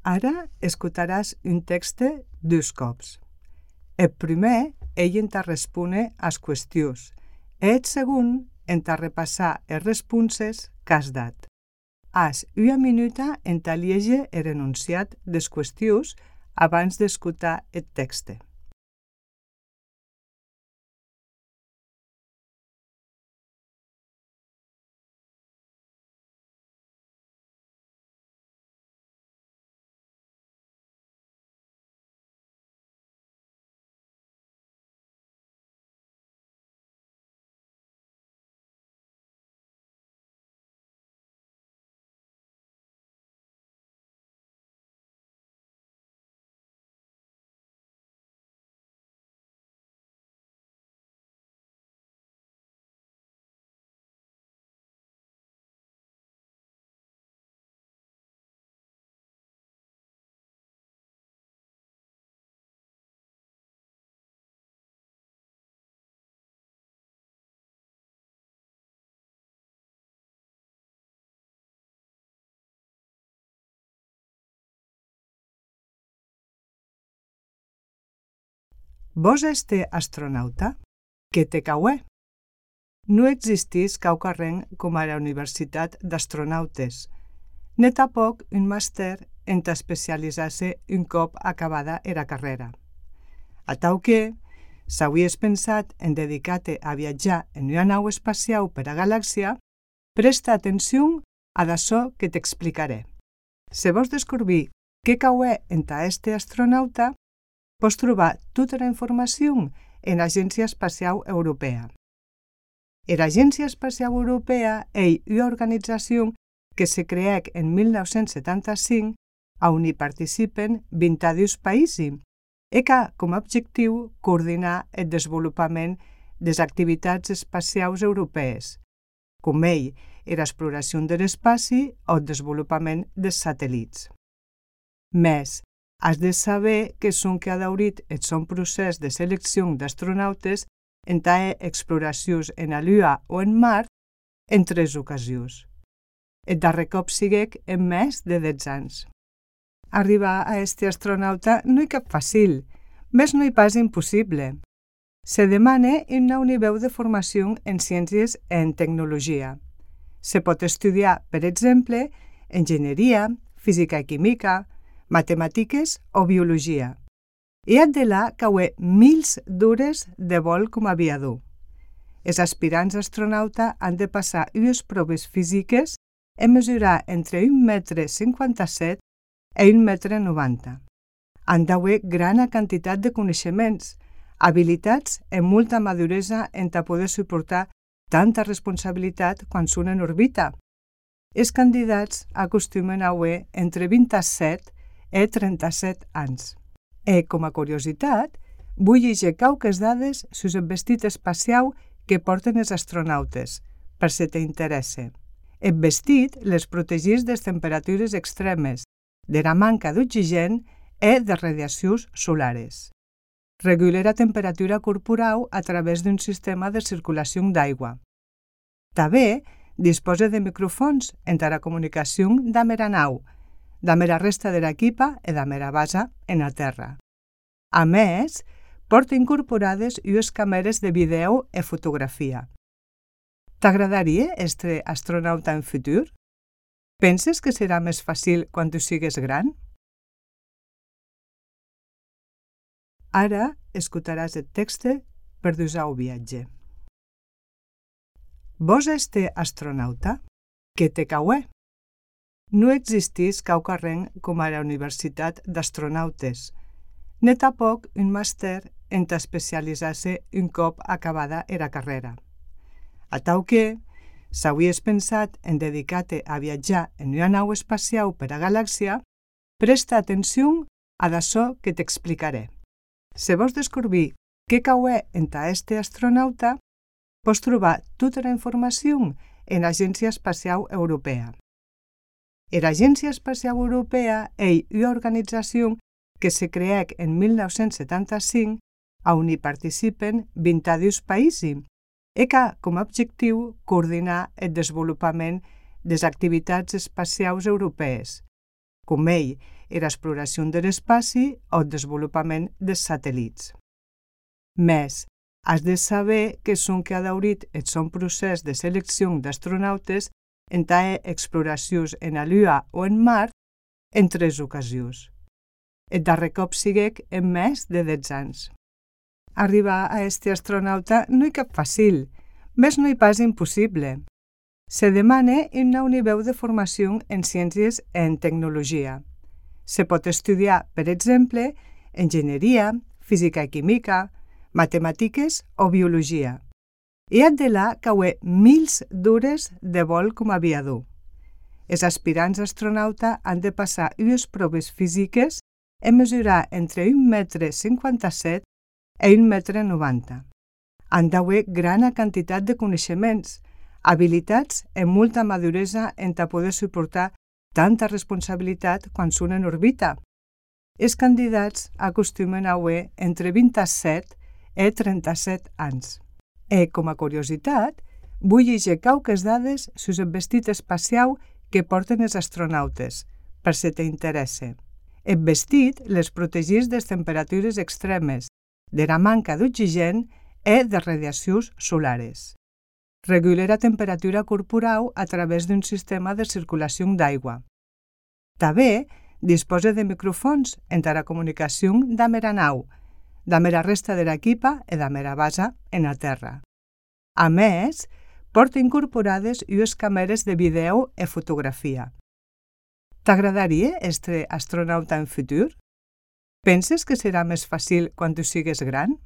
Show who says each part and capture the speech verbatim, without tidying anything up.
Speaker 1: Ara escutaràs un text dos cops. El primer, ell entà respone as qüestions, e el segon entà repassar es responses qu'has dat. Has una minuta entà lieger el enunciat des qüestions abans d'escutar el text. Vos este astronauta? Que te cauè? No existís quaucarren com a la Universitat d'Astronautes, ne tapoc un màster entà especializar-se un cop acabada era carrera. Atau que, s'auies pensat en dedicar-te a viatjar en una nau espaciau per a galàxia, presta atención a d'açò que t'explicaré. Se vos descobrir què cauè entà este astronauta, pots trobar tota la informació en l'Agència Espacial Europea. L'Agència Espacial Europea és una organització que se creèc en mil nou-cents setanta-cinc, on hi participen vint-i-dos països, i que com a objectiu coordinar el desenvolupament de les activitats espacials europees, com ell l'exploració de l'espai o el desenvolupament dels satèl·lits. Més, has de saber que són que ha daurit el son procés de selecció d'astronautes en ta exploracions en la Lluna o en Mart en tres ocasions. El darrer cop siguec en més de deu anys. Arribar a este astronauta no hi cap fàcil, més no hi pas impossible. Se demana un nou nivell de formació en ciències i en tecnologia. Se pot estudiar, per exemple, enginyeria, física i química, matemàtiques o biologia. I ha de la cauer mils d'hores de vol com a aviador. Els aspirants astronauta han de passar unes proves físiques i mesurar entre un metre cinquanta-set i un metre noranta. Han d'haver gran quantitat de coneixements, habilitats i molta maduresa en ta poder suportar tanta responsabilitat quan són en òrbita. Els candidats acostumen a haver entre vint-i-set i trenta-set anys. I, com a curiositat, vull llegir quauques dades sus el vestit espacial que porten els astronautes, per si t'interessa. El vestit les protegís de les temperatures extremes, de la manca d'oxigen i de radiacions solares. Regula la temperatura corporal a través d'un sistema de circulació d'aigua. També disposa de micròfons entre la comunicació d'amb la nau, d'amb la resta de l'equipa i d'amb la base en la Terra. A més, porta incorporades unes càmeres de vídeo i fotografia. T'agradaria estar astronauta en futur? Penses que serà més fàcil quan tu sigues gran? Ara escutaràs el text per dusar el viatge. Vos este astronauta? Que te cauè? No existís quaucarren com a la Universitat d'Astronautes, ne tapoc un màster entà especializar-se un cop acabada era carrera. Atau que, s'auies pensat en dedicar-te a viatjar en una nau espacial per a galàxia, presta atenció a d'açò que t'explicaré. Se vos descobrir què cauè entà este astronauta, pots trobar tota la informació en l'Agència Espacial Europea. L'Agència Espacial Europea és una organització que se creèc en mil nou-cents setanta-cinc, on hi participen vint-i-dos països, i que com a objectiu coordinar el desenvolupament de les activitats espacials europees, com ell era exploració de l'espai o el desenvolupament dels satèl·lits. Més, has de saber que són que ha daurit el son procés de selecció d'astronautes en ta exploracions en la Lluna o en Mart en tres ocasions. El darrer cop siguec en més de deu anys. Arribar a este astronauta no hi cap fàcil, més no hi pas impossible. Se demana un nivell de formació en ciències i en tecnologia. Se pot estudiar, per exemple, enginyeria, física i química, matemàtiques o biologia. I ha de la cauer mils d'hores de vol com a aviador. Els aspirants astronauta han de passar unes proves físiques i mesurar entre un metre cinquanta-set i un metre noranta. Han d'haver gran quantitat de coneixements, habilitats i molta maduresa en ta poder suportar tanta responsabilitat quan són en òrbita. Els candidats acostumen a haver entre vint-i-set i trenta-set anys. I, com a curiositat, vull llegir quauques dades sobre el vestit espacial que porten els astronautes, per si t'interessa. El vestit les protegeix de les temperatures extremes, de la manca d'oxigen i de radiacions solares. Regula la temperatura corporal a través d'un sistema de circulació d'aigua. També disposa de micròfons entre la comunicació amb la nau, amb la resta de l'equipa i amb la base en la Terra. A més, porta incorporades unes càmeres de vídeo i fotografia. T'agradaria ser astronauta en futur? Penses que serà més fàcil quan tu sigues gran?